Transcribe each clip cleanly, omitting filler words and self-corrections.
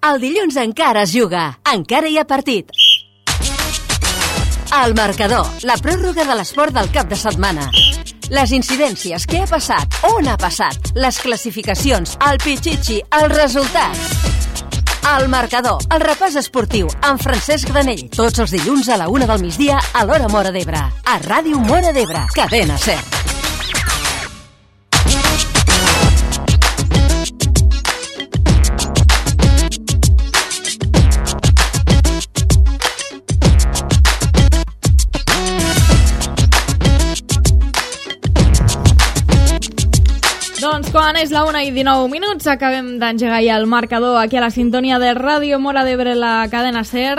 El dilluns encara es juga, encara hi ha partit. El marcador, la pròrroga de l'esport del cap de setmana. Les incidències, què ha passat, on ha passat, les classificacions, el pitxitxi, els resultats. El marcador, el repàs esportiu, amb Francesc Granell. Tots els dilluns a la 1 del migdia a l'hora Móra d'Ebre. A Ràdio Móra d'Ebre, Cadena Ser. Doncs quan és la 1:19, acabem d'engegar ja el marcador aquí a la sintonia de Ràdio Móra d'Ebre, la Cadena Ser.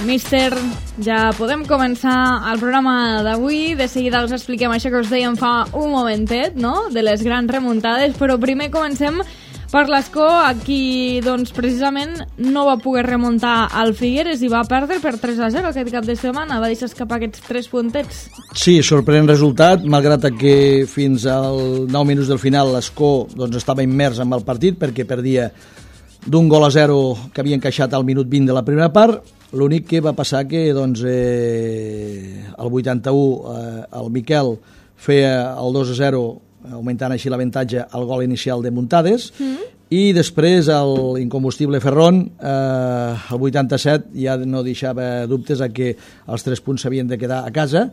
Míster, ja podem començar el programa d'avui. De seguida us expliquem això que us dèiem fa un momentet, no?, de les grans remuntades, però primer comencem per l'Escó. Aquí, doncs, precisament no va poder remuntar al Figueres i va perdre per 3-0 aquest cap de setmana. Va deixar escapar aquests 3 puntets. Sí, sorprenent resultat, malgrat que fins als 9 minuts del final l'Escó doncs, estava immers en el partit perquè perdia d'1-0 que havia encaixat al minut 20 de la primera part. L'únic que va passar que doncs, al 81 el Miquel feia el 2-0, augmentant així l'avantatge al gol inicial de Muntades, i després l'incombustible Ferrón al 87 ja no deixava dubtes a que els 3 punts s'havien de quedar a casa,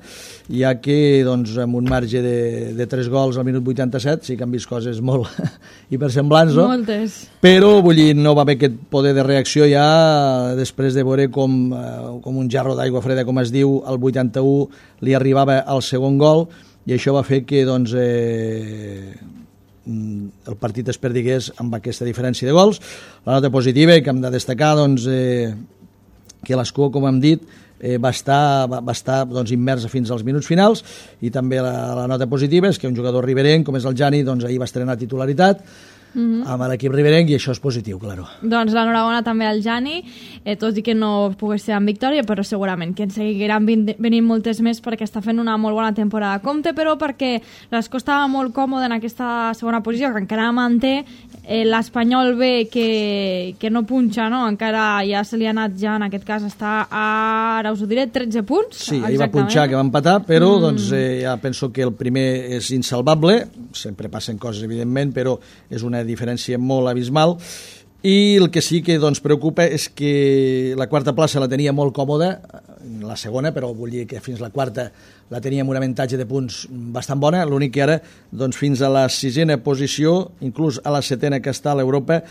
ja que doncs, amb un marge de 3 gols al minut 87 sí que han vist coses molt hipersemblants, no? Moltes. Però vull dir, no va haver aquest poder de reacció ja després de veure com un jarro d'aigua freda, com es diu, al 81 li arribava el segon gol, i això va fer que doncs, el partit es perdigués amb aquesta diferència de gols. La nota positiva que hem de destacar doncs, que l'Escó, com hem dit, va estar doncs, immersa fins als minuts finals, i també la nota positiva és que un jugador riberenc com és el Jani doncs, ahir va estrenar titularitat amb l'equip riberenc, i això és positiu, claro. Doncs l'enhorabona també al Jani, tot i que no pogués ser amb victòria, però segurament que en seguiran venint moltes més perquè està fent una molt bona temporada. Compte, però, perquè l'Escó estava molt còmode en aquesta segona posició, que encara manté. L'Espanyol B, que no punxa, no? Encara ja se li ha anat, ja en aquest cas està ara us ho diré, 13 punts. Sí, ahir va punxar, que va empatar, però doncs, ja penso que el primer és insalvable. Sempre passen coses, evidentment, però és una diferència molt abismal, i el que sí que doncs, preocupa és que la quarta plaça la tenia molt còmoda, la segona, però vull dir que fins la quarta la tenia amb un avantatge de punts bastant bona. L'únic que ara, doncs, fins a la 6a posició, inclús a la 7a que està a l'Europa,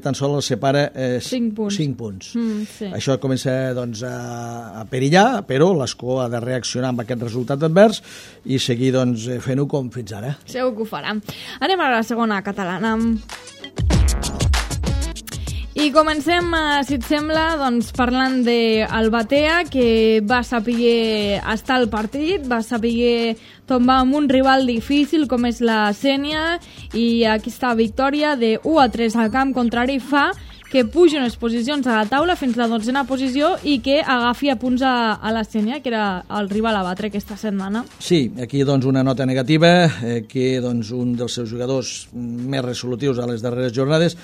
tan sols els separa 5 punts. Sí. Això comença doncs, a perillar, però l'Escó ha de reaccionar amb aquest resultat advers i seguir doncs, fent-ho com fins ara. Segur que ho farà. Anem a la segona catalana. I comencem, si et sembla, doncs, parlant del Batea, que va saber estar al partit, va saber tombar amb un rival difícil com és la Sénia, i aquesta victòria de 1-3 al camp contrari fa que pugi unes posicions a la taula fins a la 12a posició i que agafi a punts a la Sénia, que era el rival a batre aquesta setmana. Sí, aquí doncs, una nota negativa, que doncs, un dels seus jugadors més resolutius a les darreres jornades,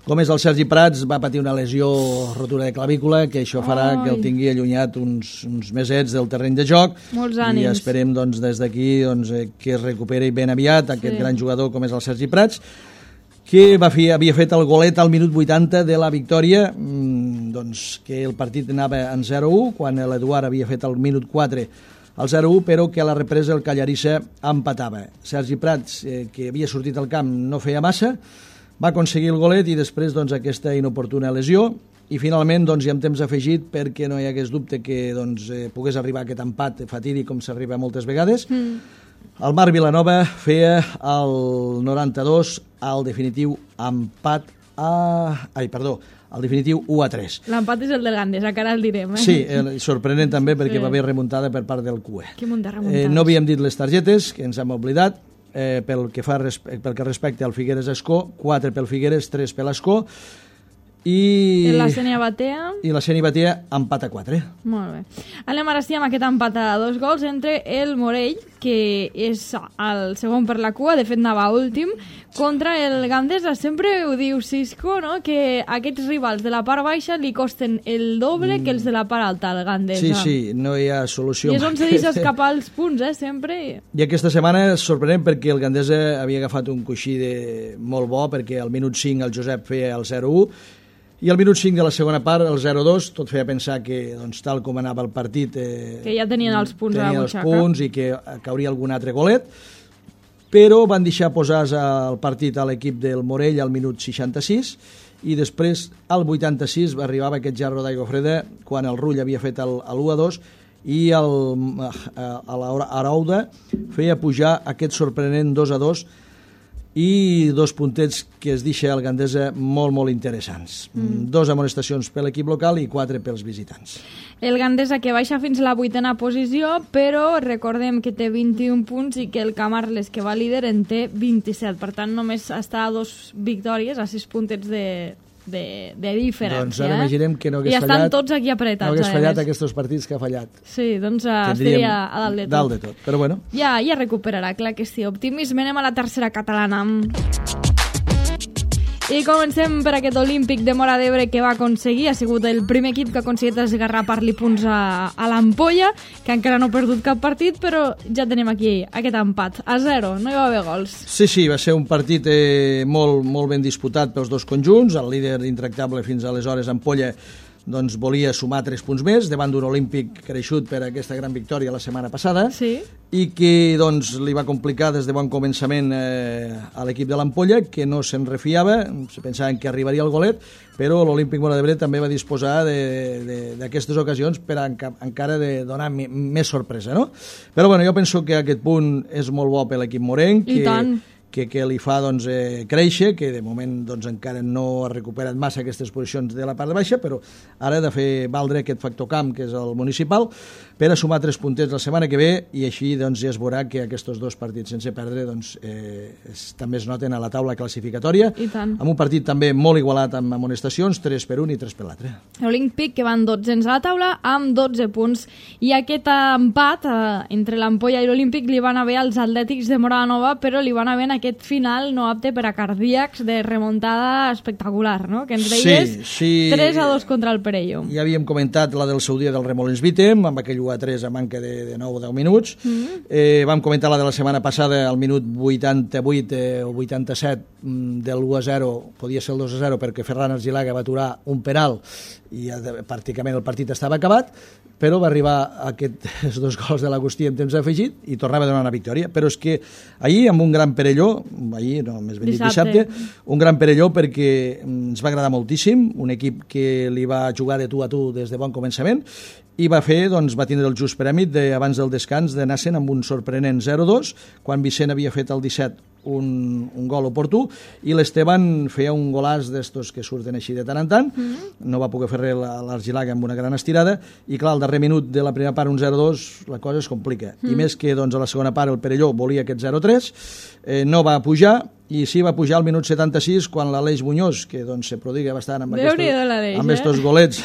com és el Sergi Prats, va patir una lesió, rotura de clavícula, que això farà que el tingui allunyat uns mesets del terreny de joc. Molts ànims. I esperem doncs, des d'aquí doncs, que es recuperi ben aviat aquest gran jugador com és el Sergi Prats, que havia fet el golet al minut 80 de la victòria, doncs, que el partit anava en 0-1, quan l'Eduard havia fet el minut 4 al 0-1, però que a la represa el Callarissa empatava. Sergi Prats, que havia sortit al camp, no feia massa, va aconseguir el golet, i després doncs, aquesta inoportuna lesió, i finalment doncs, hi ha temps afegit perquè no hi hagués dubte que doncs, pogués arribar aquest empat fatídic com s'arriba moltes vegades. El Marc Vilanova feia el 92 al definitiu empat al definitiu 1-3. L'empat és el del Gandesa, que ara el direm. Sí, sorprenent també perquè va haver remuntada per part del CUE. Que munt de remuntades. No havíem dit les targetes, que ens hem oblidat. Pel que respecta al Figueres Escó, 4 pel Figueres, 3 per l'Escó, I la Sènia Batea? I la Sènia Batea empat a 4. Molt bé. Anem ara sí amb aquest empat a 2 gols entre el Morell, que és el segon per la cua, de fet anava últim, contra el Gandesa. Sempre ho diu Cisco, no?, que aquests rivals de la part baixa li costen el doble que els de la part alta, el Gandesa. Sí, no hi ha solució. I és on se deixa escapar els punts, sempre. I aquesta setmana és sorprenent perquè el Gandesa havia agafat un coixí molt bo, perquè al minut 5 el Josep feia el 0-1, i al minut 5 de la segona part, el 0-2, tot feia pensar que, doncs, tal com anava el partit... que ja tenien els punts a la butxaca. Tenien els punts i que cauria algun altre golet, però van deixar posar el partit a l'equip del Morell al minut 66, i després, al 86, arribava aquest jarro d'aigua freda quan el Rull havia fet el 1-2, i l'Arauda feia pujar aquest sorprenent 2-2, i 2 puntets que es deixa el Gandesa molt, molt interessants. 2 amonestacions per l'equip local i 4 pels visitants. El Gandesa que baixa fins a la 8a posició, però recordem que té 21 punts i que el Camarles, que va líder, en té 27. Per tant, només està a 2 victòries, a 6 puntets de diferència. Doncs ara imaginem que no hagués fallat... I estan tots aquí apretats. No hagués fallat aquests partits que ha fallat. Sí, doncs estaria a dalt de tot. Dalt de tot, però bueno. Ja recuperarà, clar que sí. Optimisme, anem a la tercera catalana. I comencem per aquest Olímpic de Móra d'Ebre que va aconseguir, ha sigut el primer equip que ha aconseguit esgarrapar-li punts a l'Ampolla, que encara no ha perdut cap partit, però ja tenim aquí aquest empat, a 0, no hi va haver gols. Sí, va ser un partit molt, molt ben disputat pels dos conjunts. El líder intractable fins aleshores, Ampolla, doncs volia sumar 3 punts més davant d'un Olímpic creixut per aquesta gran victòria la setmana passada, sí, i que doncs li va complicar des de bon començament a l'equip de l'Ampolla, que no se'n refiava, se pensaven que arribaria el golet, però l'Olímpic Móra d'Ebre també va disposar d'aquestes ocasions per encara de donar més sorpresa, no? Però bueno, jo penso que aquest punt és molt bo per l'equip morenc, que li fa doncs, créixer, que de moment doncs, encara no ha recuperat massa aquestes posicions de la part de baixa, però ara ha de fer valdre aquest factor camp, que és el municipal, per a sumar 3 puntets la setmana que ve, i així doncs, ja es veurà que aquests 2 partits sense perdre doncs, també es noten a la taula classificatòria, amb un partit també molt igualat amb amonestacions, 3 per un i 3 per l'altre. L'Olímpic, que van 12 a la taula, amb 12 punts, i aquest empat entre l'Ampolla i l'Olímpic li van haver als Atlètics de Móra la Nova, però li van haver aquest final no apte per a cardíacs de remuntada espectacular, no? Que ens deies 3-2 contra el Perelló. Ja havíem comentat la del seu dia del Remolins Vítem, amb aquell 1-3 a manca de 9 o 10 minuts. Vam comentar la de la setmana passada al minut 88 o 87 del 1-0, podia ser el 2-0 perquè Ferran Argilaga va aturar un penal i pràcticament el partit estava acabat, però va arribar aquests 2 gols de l'Agustí en temps afegit i tornava a donar una victòria. Però és que ahir, amb un gran Perelló, dissabte, un gran Perelló perquè ens va agradar moltíssim, un equip que li va jugar de tu a tu des de bon començament, i va tindre el just prèmit abans del descans d'anar-se'n amb un sorprenent 0-2, quan Vicent havia fet el 17 un gol oportú, i l'Esteban feia un golàs d'estos que surten així de tant en tant, no va poder fer res l'Argilaga amb una gran estirada, i clar, al darrer minut de la primera part, un 0-2, la cosa es complica, i més que doncs, a la segona part el Perelló volia aquest 0-3, no va pujar, i sí va pujar al minut 76 quan l'Aleix Muñoz, que doncs, se prodiga bastant amb aquests golets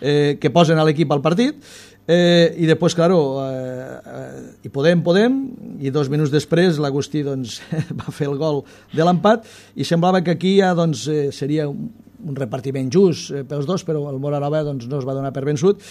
que posen a l'equip al partit, i després, claro, i podem, i 2 minuts després l'Agustí doncs, va fer el gol de l'empat, i semblava que aquí ja doncs, seria un repartiment just pels dos, però el Móra Nova doncs, no es va donar per vençut.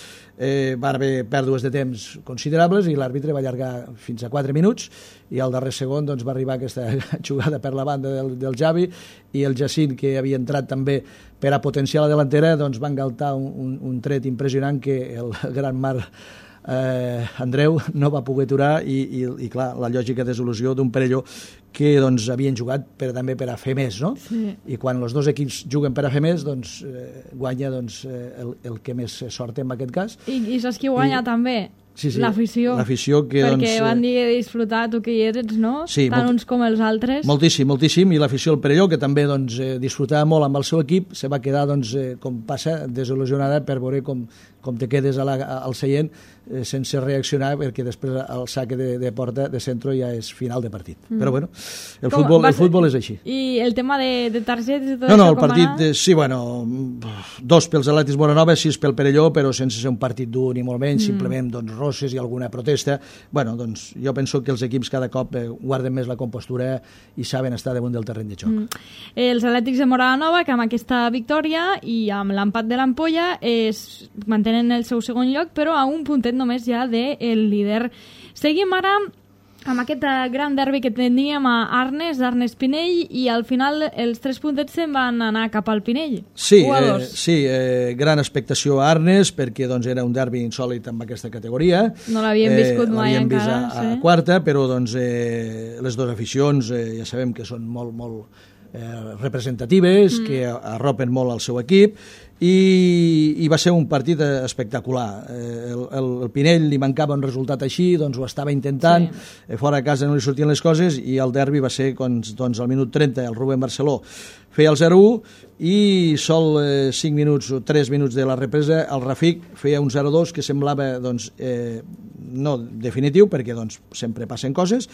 Va haver pèrdues de temps considerables i l'àrbitre va allargar fins a 4 minuts, i al darrer segon doncs, va arribar aquesta jugada per la banda del Javi, i el Jacint, que havia entrat també per a potenciar la delantera, doncs, va engaltar un tret impressionant que el gran Marc Andreu no va poder aturar, i clar, la lògica desil·lusió d'un Perelló que doncs, havien jugat també per a fer més, no? Sí. I quan els dos equips juguen per a fer més, doncs guanya el que més sort té en aquest cas. I saps qui guanya també? l'afició. Perquè van dir disfrutar, tu que hi eres, no? Sí, tant uns com els altres. Moltíssim, i l'afició del Perelló, que també disfrutava molt amb el seu equip, se va quedar, com passa, desil·lusionada per veure com te quedes al seient sense reaccionar, perquè després el saque de porta de centro ja és final de partit. Però bueno, el futbol és així. I el tema de targetes i tot això, com el partit, sí, bueno, 2 pels Atlètics Moranova, 6 pel Perelló, però sense ser un partit dur ni molt menys, simplement rosses i alguna protesta. Bueno, jo penso que els equips cada cop guarden més la compostura i saben estar damunt del terreny de joc. Els Atlètics de Moranova, que amb aquesta victòria i amb l'empat de l'Ampolla mantenen el seu segon lloc, però a un puntet només ja del líder. Seguim ara amb aquest gran derbi que teníem a Arnes, Pinell, i al final els 3 puntets se'n van anar cap al Pinell. Sí, gran expectació a Arnes, perquè era un derbi insòlit amb aquesta categoria. No l'havíem viscut mai encara. L'havíem vist a quarta, però les dues aficions ja sabem que són molt representatives, que arropen molt al seu equip, i va ser un partit espectacular. El Pinell li mancava un resultat així, ho estava intentant, fora de casa no li sortien les coses, i el derbi va ser al minut 30, el Rubén Barceló feia el 0-1, i sol 5 minuts o 3 minuts de la represa el Rafik feia un 0-2 que semblava no definitiu, perquè sempre passen coses,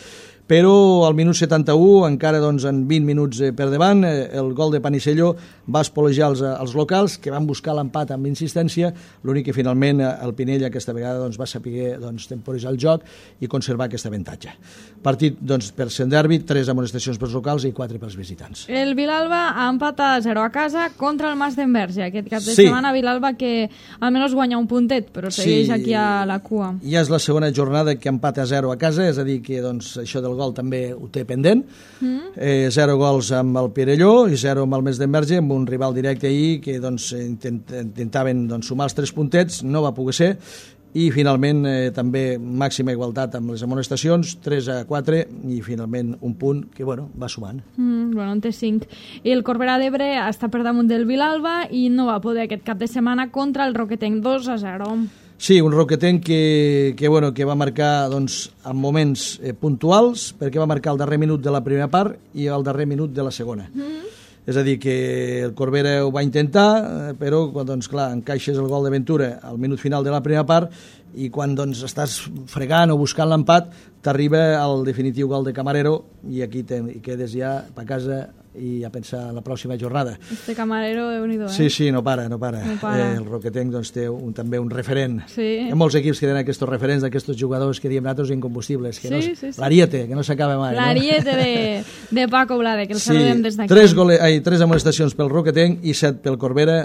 però al minut 71, encara en 20 minuts per davant, el gol de Panisello va espolejar els locals, que van buscar l'empat amb insistència, l'únic que finalment el Pinell aquesta vegada va saber temporitzar el joc i conservar aquest avantatge. Partit per ser derbi, 3 amonestacions pels locals i 4 pels visitants. El Vilalba empata 0 a casa contra el Mas d'Enverge. Aquest cap de setmana Vilalba que almenys guanya un puntet, però segueix aquí a la cua. Ja és la segona jornada que empata 0 a casa, és a dir que això del gol també ho té pendent. 0 gols amb el Perelló i 0 amb el Mas d'Enverge, amb un rival directe ahir que intentaven sumar els 3 puntets, no va poder ser, i finalment també màxima igualtat amb les amonestacions, 3-4, i finalment un punt que va sumant. En té 5. I el Corbera d'Ebre està per damunt del Vilalba i no va poder aquest cap de setmana contra el Roquetenc, 2-0. Sí, un Roquetenc que va marcar en moments puntuals, perquè va marcar el darrer minut de la primera part i el darrer minut de la segona. És a dir, que el Corbera ho va intentar, però quan, encaixes el gol de Ventura al minut final de la primera part i quan estàs fregant o buscant l'empat, t'arriba el definitiu gol de Camarero i aquí quedes ja a casa i a pensar en la pròxima jornada. Este Camarero, Déu-n'hi-do, Sí, no para. El Roquetenc té també un referent. Hi ha molts equips que tenen aquests referents d'aquests jugadors que diem nosaltres incombustibles. L'Ariete, que no s'acaba mai. L'Ariete de Paco Blade, que el saludem des d'aquí. 3 amonestacions pel Roquetenc i 7 pel Corbera,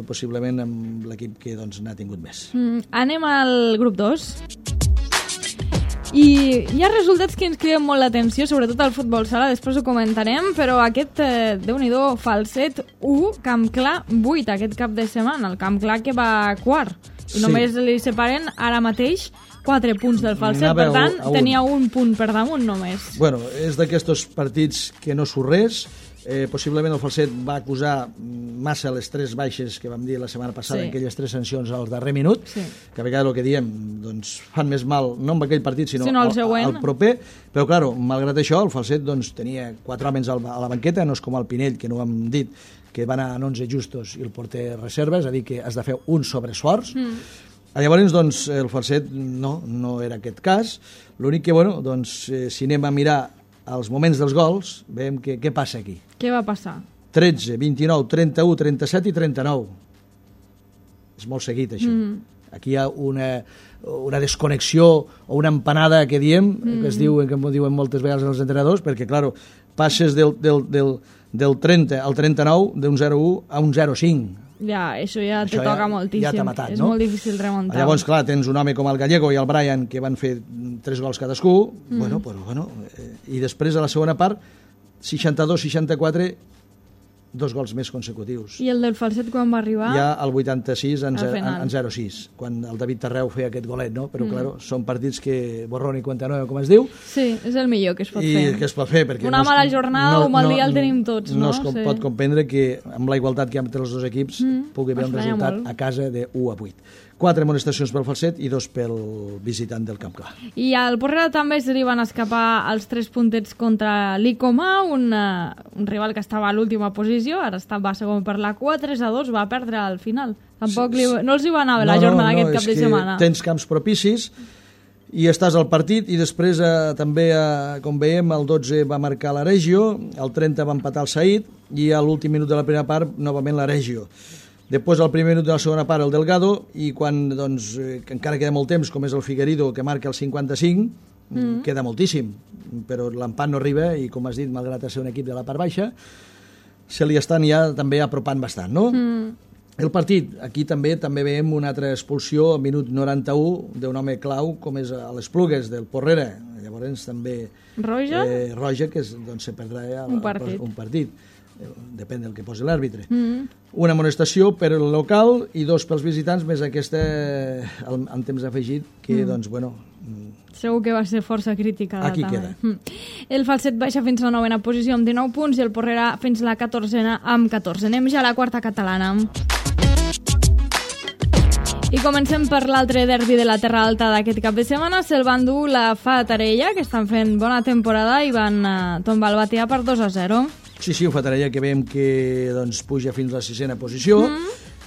possiblement amb l'equip que n'ha tingut més. Anem al grup 2. I hi ha resultats que ens criden molt l'atenció, sobretot al futbol sala, després ho comentarem, però aquest, Déu-n'hi-do, Falset 1, Camp Clar 8 aquest cap de setmana, el Camp Clar que va quart, i només li separen ara mateix 4 punts del Falset, per tant, tenia un punt per damunt només. Bueno, és d'aquests partits que no surt res. Possiblement el Falset va acusar massa les 3 baixes que vam dir la setmana passada, aquelles 3 sancions al darrer minut, que a vegades el que diem fan més mal, no amb aquell partit, sinó al proper, però clar, malgrat això, el Falset tenia 4 homes a la banqueta, no és com el Pinell, que no ho hem dit, que va anar en 11 justos i el porter reserva, és a dir, que has de fer un sobreesforç. Llavors, el Falset no era aquest cas. L'únic que, si anem a mirar als moments dels gols, veiem què passa aquí. Què va passar? 13, 29, 31, 37 i 39. És molt seguit, això. Aquí hi ha una desconnexió o una empanada que diem, que m'ho diuen moltes vegades els entrenadors, perquè, clar, passes del 30 al 39, d'un 0-1 a un 0-5. Ja, això ja te toca moltíssim. Ja t'ha matat, és molt difícil remuntar. Llavors, clar, tens un home com el Gallego i el Brian que van fer 3 gols cadascú, i després a la segona part 62-64, 2 gols més consecutius. I el del Falset quan va arribar? Ja al 86 en 0-6, quan el David Tarreu feia aquest golet, no? Però, clar, són partits que borrón i cuenta nueva, com es diu. Sí, és el millor que es pot fer. I que es pot fer, perquè una mala jornada o un mal dia el tenim tots, no? No es pot comprendre que amb la igualtat que hi ha entre els dos equips pugui haver un resultat a casa de 1-8. 4 amonestacions pel falset i 2 pel visitant del Camp Clar. I al Porrera també se li van escapar els 3 puntets contra l'Icomà, un rival que estava a l'última posició, ara va segon per la cua, 3-2, va perdre al final. Tampoc no els hi va anar bé la jornada aquest cap de setmana. Tens camps propicis i estàs al partit, i després també, com veiem, el 12 va marcar la Regio, el 30 va empatar el Saïd, i a l'últim minut de la primera part, novament la Regio. Després, al primer minut de la segona part, el Delgado, i quan, doncs, encara queda molt temps, com és el Figuerido, que marca el 55, queda moltíssim, però l'empat no arriba, i com has dit, malgrat ser un equip de la part baixa, se li estan ja també apropant bastant, no? El partit, aquí també veiem una altra expulsió al minut 91 d'un home clau, com és a les Plugues del Porrera. Llavors també... Roja? Roja, que doncs se perdrà un partit. Depèn del que posi l'àrbitre. Una amonestació per el local i 2 pels visitants, més aquesta en temps afegit, que, doncs, bueno... Segur que va ser força criticada. Aquí també queda. El falset baixa fins a la 9a posició amb 19 punts i el Porrera fins a la 14a amb 14. Anem ja a la quarta catalana. I comencem per l'altre derbi de la Terra Alta d'aquest cap de setmana. Se'l van dur la Fatarella, que estan fent bona temporada, i van tombar el Batea per 2-0. Sí, un Fatarella que veiem que doncs, puja fins a la 6a posició.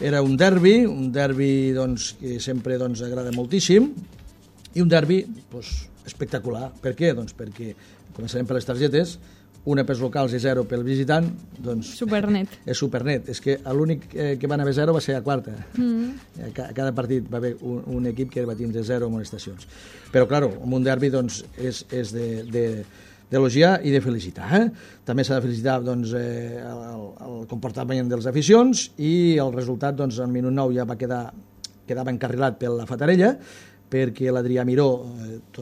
Era un derbi doncs, que sempre doncs, agrada moltíssim, i un derbi doncs, espectacular. Per què? Doncs perquè començarem per les targetes. Una pels locals i 0 pel visitant, doncs... Supernet. És supernet. És que l'únic que van haver 0 va ser a quarta. A cada partit va haver un equip que va tindre 0 amonestacions. Però, clar, un derbi doncs, és d'elogiar i de felicitar. També s'ha de felicitar doncs, el comportament dels aficions, i el resultat, doncs, al minut 9 ja quedava encarrilat per la Fatarella, perquè l'Adrià Miró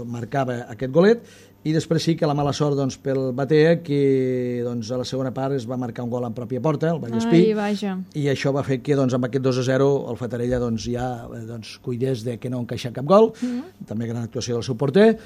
marcava aquest golet, i després sí que la mala sort doncs, pel Batea, que doncs, a la segona part es va marcar un gol en pròpia porta, el Vallespí, i això va fer que doncs, amb aquest 2-0 el Fatarella doncs, ja cuidés de que no encaixar cap gol, també gran actuació del seu porter,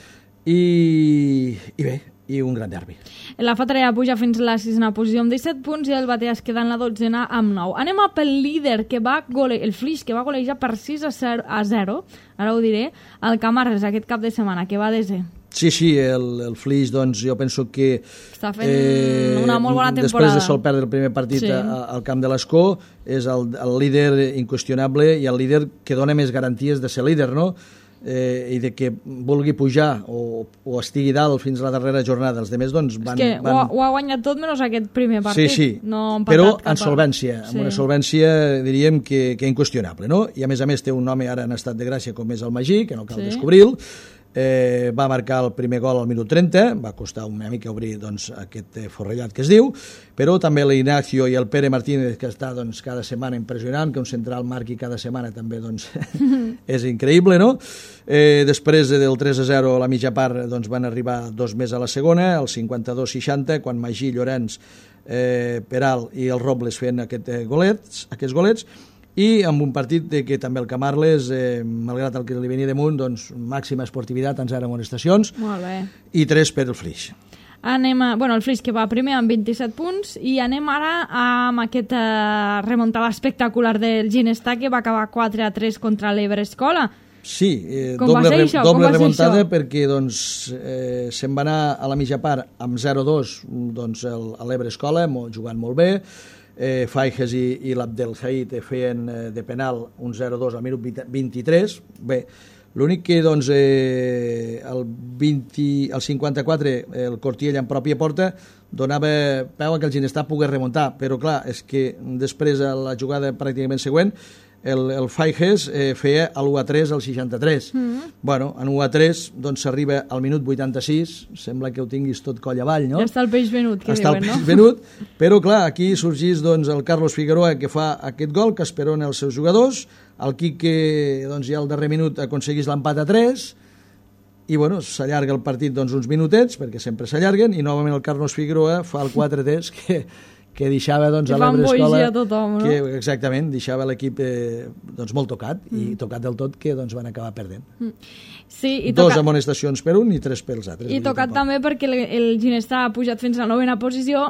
i bé, i un gran derbi. La Fatarella puja fins a la 6a posició amb 17 punts i el Batea es queda en la 12a amb 9. Anem a pel líder, el Flix, que va golejar per 6-0, ara ho diré, el Camarles aquest cap de setmana, que va desè. Sí, el Flix, doncs, jo penso que... Està fent una molt bona temporada. Després de sol perdre el primer partit al camp de l'Escó, és el líder inqüestionable i el líder que dona més garanties de ser líder, no? I de que vulgui pujar o estigui dalt fins a la darrera jornada. Els demés, doncs, van... És que ho ha guanyat tot menys aquest primer partit. Sí, però en solvència, amb una solvència, diríem, que inqüestionable, no? I a més té un home ara en estat de gràcia com és el Magí, que no cal descobrir-lo. Va marcar el primer gol al minut 30, va costar una mica obrir doncs, aquest forrellat que es diu, però també l'Ignacio i el Pere Martínez, que està doncs, cada setmana impressionant, que un central marqui cada setmana també doncs, és increïble, no? Després del 3-0 a la mitja part doncs, van arribar 2 més a la segona, el 52-60, quan Magí, Llorenç, Peral i el Robles feien aquests golets, i amb un partit que també el Camarles, malgrat el que li venia damunt, doncs, màxima esportivitat en 0 amonestacions, i 3 per el Flix. El Flix que va primer amb 27 punts, i anem ara amb aquesta remuntada espectacular del Ginestar, que va acabar 4-3 contra l'Ebre Escola. Sí, doble remuntada, perquè doncs, se'n va anar a la mitja part amb 0-2 doncs, a l'Ebre Escola, jugant molt bé. Faiges i l'Abdel Said feien de penal un 0-2 al minut 23. Bé, l'únic que doncs, el 54 el Cortiell en pròpia porta donava peu a que el Ginestar pogués remuntar, però clar, és que després a la jugada pràcticament següent el Faiges feia l'1-3 al 63. Bueno, en 1-3 doncs s'arriba al minut 86, sembla que ho tinguis tot coll avall, no? Ja està el peix venut, que diuen, no? Està el peix venut, però clar, aquí sorgís doncs, el Carlos Figueroa, que fa aquest gol, que esperona els seus jugadors, el Quique doncs, ja al darrer minut aconseguís l'empat a 3, i bueno, s'allarga el partit doncs, uns minutets, perquè sempre s'allarguen, i novament el Carlos Figueroa fa el 4-3, que deixava doncs, a l'Ebre Escola... Tothom, no? Exactament, deixava l'equip doncs, molt tocat, i tocat del tot que doncs, van acabar perdent. Sí, i dos amonestacions per un i 3 pels altres. I tocat també perquè el Ginestà ha pujat fins a la 9ª posició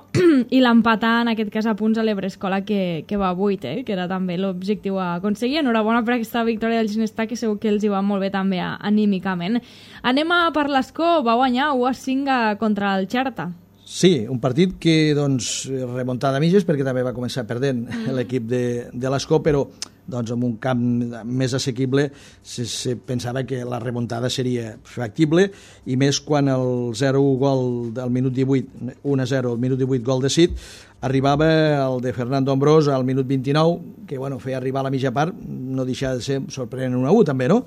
i l'empatar, en aquest cas, a punts a l'Ebre Escola, que va a 8, que era també l'objectiu a aconseguir. Enhorabona per aquesta victòria del Ginestà, que segur que els hi va molt bé també anímicament. Anem per l'Escó, va guanyar 1-5 contra el Xerta. Sí, un partit que doncs, remuntada a mitges, perquè també va començar perdent l'equip de l'Escó, però doncs, en un camp més assequible se pensava que la remuntada seria factible, i més quan el 0-1 gol del minut 18, 1-0 al minut 18 gol de Cid, arribava el de Fernando Ambrós al minut 29, que bueno, feia arribar a la mitja part, no deixava de ser sorprenent 1-1 també, no?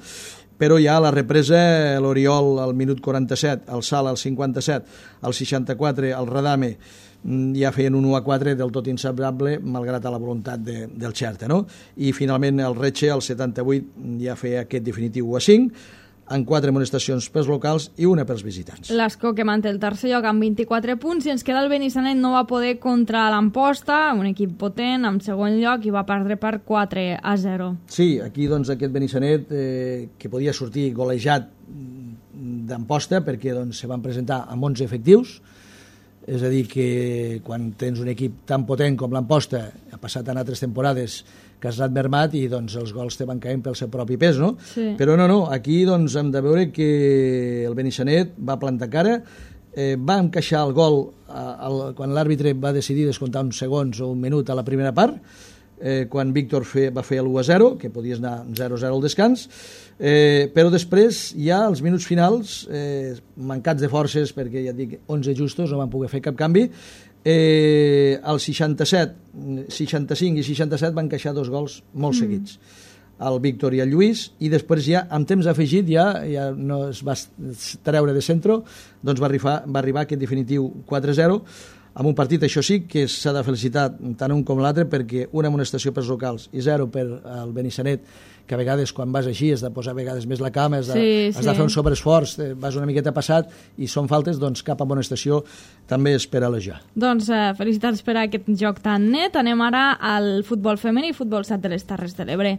Però ja a la represa l'Oriol al minut 47, el Sala al 57, al 64 el Radame ja feien un 1-4 del tot insabrable malgrat a la voluntat del Xerta, no? I finalment el Retxe al 78 ja feia aquest definitiu 1-5 amb 4 amonestacions pels locals i una pels visitants. L'Escó, que manté el tercer lloc amb 24 punts, i ens queda el Benissanet, no va poder contra l'Amposta, un equip potent, en segon lloc, i va perdre per 4-0. Sí, aquí doncs aquest Benissanet que podia sortir golejat d'Amposta perquè doncs, se van presentar amb 11 efectius, és a dir, que quan tens un equip tan potent com l'Amposta, ha passat en altres temporades que has anat mermat i doncs, els gols te van caient pel seu propi pes, no? Sí. Però no, aquí doncs, hem de veure que el Benissanet va plantar cara, va encaixar el gol quan l'àrbitre va decidir descomptar uns segons o un minut a la primera part, quan Víctor va fer l'1-0, que podies anar 0-0 al descans, però després ja als minuts finals, mancats de forces, perquè ja et dic 11 justos, no van poder fer cap canvi, al 67, 65 i 67 van encaixar 2 gols molt seguits, el Víctor i el Lluís, i després ja amb temps afegit ja no es va treure de centre, doncs va arribar aquest definitiu 4-0, amb un partit, això sí, que s'ha de felicitar tant un com l'altre, perquè una amonestació pels locals i 0 per al Benissanet, que a vegades quan vas així has de posar a vegades més la cama, has de fer un sobreesforç, vas una miqueta passat i són faltes, doncs cap amonestació també és per elogiar. Doncs felicitats per aquest joc tan net. Anem ara al futbol femení i futbol sat de les Terres de l'Ebre.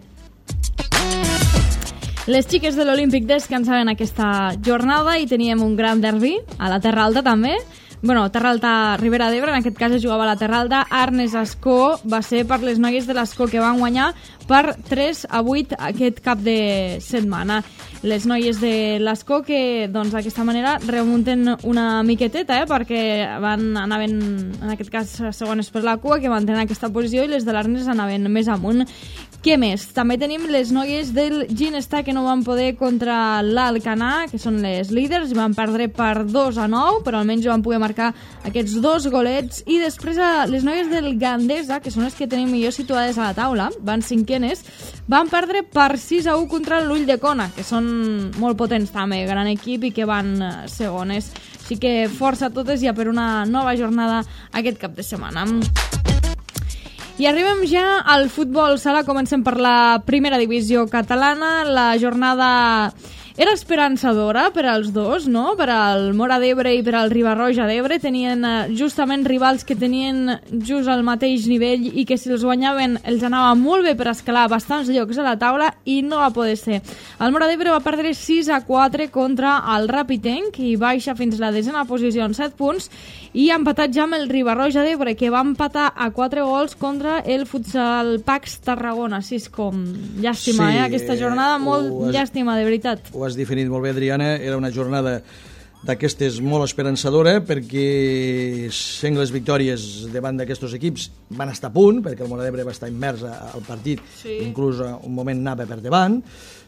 Les xiques de l'Olímpic descansaven aquesta jornada i teníem un gran derbi a la Terra Alta també. Bueno, Terra Alta, Ribera d'Ebre, en aquest cas es jugava a la Terra Alta. Arnes-Escó va ser per les noies de l'Escó, que van guanyar per 3-8 aquest cap de setmana. Les noies de l'Escó que doncs d'aquesta manera remunten una miqueteta, perquè anaven en aquest cas segones per la cua, que mantenen aquesta posició, i les de l'Arnes anaven més amunt. Què més? També tenim les noies del Ginestà, que no van poder contra l'Alcanar, que són les líders, i van perdre per 2-9, però almenys van poder marcar aquests 2 golets. I després les noies del Gandesa, que són les que tenim millor situades a la taula, van cinquenes, van perdre per 6-1 contra l'Ulldecona, que són molt potents també, gran equip, i que van segones. Així que força a totes ja per una nova jornada aquest cap de setmana. I arribem ja al futbol sala. Comencem per la primera divisió catalana. La jornada era esperançadora per als dos, no? Per al Móra d'Ebre i per al Riba-roja d'Ebre. Tenien justament rivals que tenien just al mateix nivell i que si els guanyaven els anava molt bé per escalar bastants llocs a la taula, i no va poder ser. El Móra d'Ebre va perdre 6-4 contra el Rapitenc i baixa fins a la 10ª posició amb 7 punts, i ha empatat ja amb el Riba-roja d'Ebre, que va empatar a 4 gols contra el Futsal Pax Tarragona. Així és com llàstima, aquesta jornada, molt llàstima, de veritat. Ho has definit molt bé, Adriana. Era una jornada d'aquestes molt esperançadora, perquè sengles victòries davant d'aquests equips van estar a punt, perquè el Móra d'Ebre va estar immers al partit, inclús un moment anava per davant,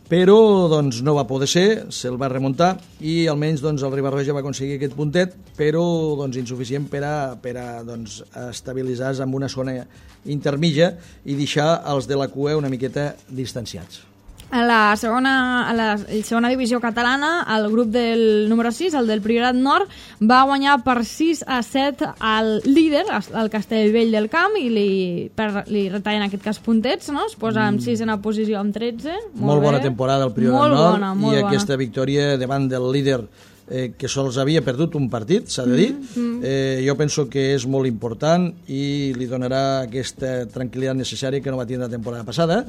però doncs, no va poder ser, se'l va remuntar, i almenys doncs, el Riba-roja va aconseguir aquest puntet, però doncs, insuficient per a doncs, estabilitzar-se en una zona intermitja i deixar els de la cua una miqueta distanciats. A la segona divisió catalana, el grup del número 6, el del Priorat Nord, va guanyar per 6-7 al líder, el Castellvell del Camp, i li retallen en aquest cas puntets, no? Es posa amb 6 en la posició amb 13. Molt bona temporada el Priorat Nord, i aquesta victòria davant del líder que sols havia perdut un partit, s'ha de dir. Jo penso que és molt important i li donarà aquesta tranquil·litat necessària que no va tindre la temporada passada,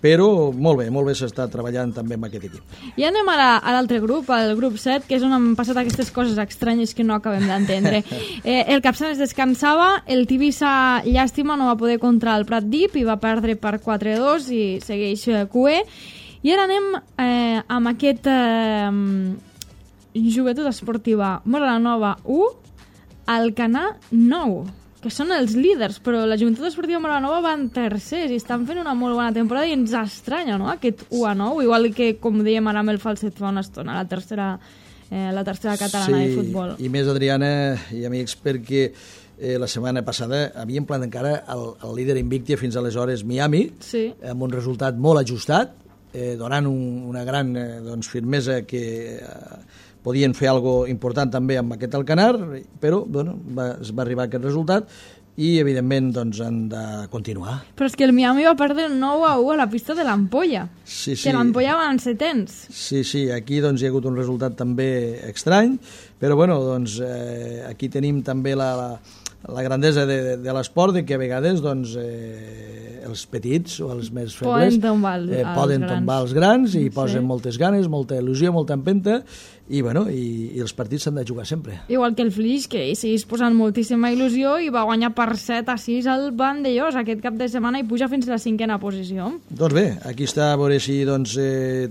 però molt bé s'està treballant també amb aquest equip. I anem a l'altre grup, al grup 7, que és on han passat aquestes coses estranyes que no acabem d'entendre. El Capçanes descansava, el Tivissa, llàstima, no va poder contra el Pratdip i va perdre per 4-2 i segueix QE. I ara anem amb aquest Joventut Esportiva Moranova 1, Alcanar 9, que són els líders, però la Joventut Esportiva Moranova van tercers i estan fent una molt bona temporada i ens estranya, no?, aquest 1-9, igual que, com dèiem ara amb el Falset fa una estona, la tercera catalana de futbol. Sí, i més, Adriana i amics, perquè la setmana passada havíem plantat encara el líder invicte fins aleshores Miami, amb un resultat molt ajustat, donant una gran firmesa que podien fer alguna important també amb aquest Alcanar, però es va arribar a aquest resultat i evidentment han de continuar. Però és que el Miami va perdre 9-1 a la pista de l'Ampolla, que l'Ampolla van setens. Sí, aquí hi ha hagut un resultat també estrany, però aquí tenim també la grandesa de l'esport, de que a vegades els petits o els més febles poden tombar els grans i posen moltes ganes, molta il·lusió, molta empenta i els partits s'han de jugar sempre. Igual que el Flix, que hi seguís posant moltíssima il·lusió i va guanyar per 7-6 al Vandellós aquest cap de setmana i puja fins a la 5a posició. Doncs bé, aquí està a veure si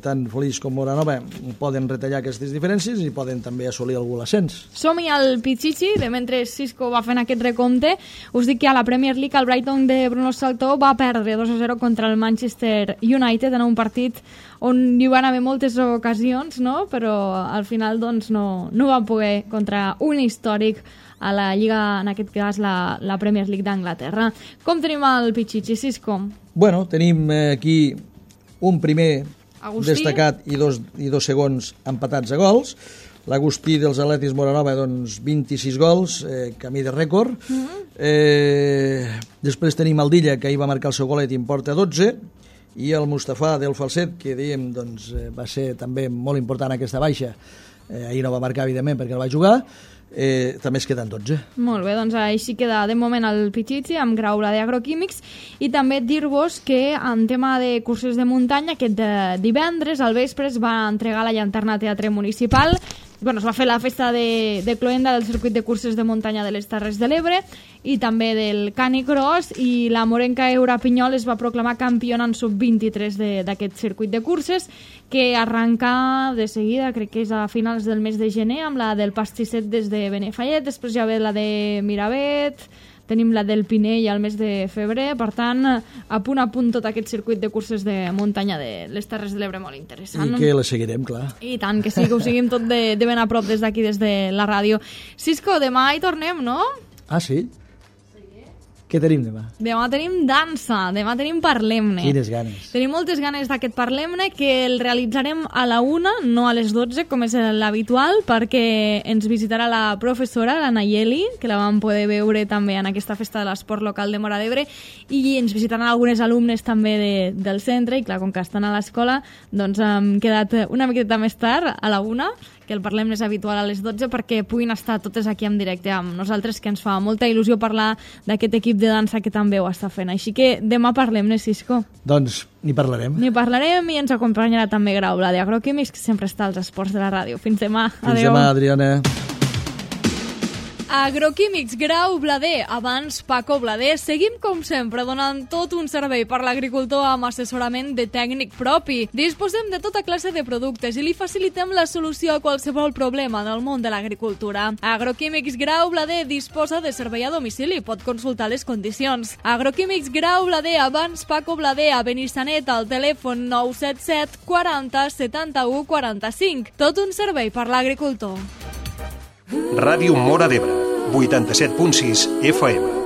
tant Flix com Moranova poden retallar aquestes diferències i poden també assolir algun ascens. Som-hi al Pichichi, de mentre Cisco va fent aquest recompte. Us dic que a la Premier League el Brighton de Bruno Saltó va perdre 2-0 contra el Manchester United en un partit on hi van haver moltes ocasions, no? Però al final no van poder contra un històric a la Lliga, en aquest cas la Premier League d'Anglaterra. Com tenim el Pichichi, Cisco? Bueno, tenim aquí un primer Agustí destacat i dos segons empatats a gols. L'Agustí dels Atletis Moranova, 26 gols, camí de rècord. Després tenim el Dilla, que ahir va marcar el seu golet i en porta 12, i el Mustafà del Falset, que dèiem va ser també molt important aquesta baixa. Ahir no va marcar, evidentment, perquè no va jugar. També es queden 12. Molt bé, així queda de moment el Pichichi amb Graula d'Agroquímics. I també dir-vos que en tema de curses de muntanya, aquest divendres al vespre es va entregar la llanterna a Teatre Municipal. Es va fer la festa de cloenda del circuit de curses de muntanya de les Terres de l'Ebre i també del Canicross, i la morenca Eura Pinyol es va proclamar campiona en sub-23 d'aquest circuit de curses, que arranca de seguida, crec que és a finals del mes de gener, amb la del Pastisset des de Benifallet, després ja ve la de Miravet, tenim la del Pinell al mes de febrer, per tant, a punt tot aquest circuit de curses de muntanya de les Terres de l'Ebre, molt interessant. I que la seguirem, clar. I tant, que sí, que ho seguim tot de ben a prop des d'aquí, des de la ràdio. Cisco, demà hi tornem, no? Ah, sí? Què tenim demà? Demà tenim dansa, demà tenim Parlem-ne. Quines ganes. Tenim moltes ganes d'aquest Parlem-ne, que el realitzarem a la 1, no a les 12, com és l'habitual, perquè ens visitarà la professora, la Nayeli, que la vam poder veure també en aquesta festa de l'esport local de Móra d'Ebre, i ens visitaran algunes alumnes també del centre, i clar, com que estan a l'escola, hem quedat una miqueta més tard, a la 1, que el Parlem és habitual a les 12, perquè puguin estar totes aquí en directe amb nosaltres, que ens fa molta il·lusió parlar d'aquest equip de dansa que també ho està fent. Així que demà Parlem-ne, Cisco. Doncs n'hi parlarem. N'hi parlarem i ens acompanyarà també Graula d'Agroquímics, que sempre està als esports de la ràdio. Fins demà. Fins demà, Adriana. Agroquímics Grau Blader, abans Paco Blader. Seguim, com sempre, donant tot un servei per l'agricultor amb assessorament de tècnic propi. Disposem de tota classe de productes i li facilitem la solució a qualsevol problema en el món de l'agricultura. Agroquímics Grau Blader disposa de servei a domicili. Pot consultar les condicions. Agroquímics Grau Blader, abans Paco Blader, a Benissanet, al telèfon 977 40 71 45. Tot un servei per l'agricultor. Ràdio Móra d'Ebre, 87.6 FM.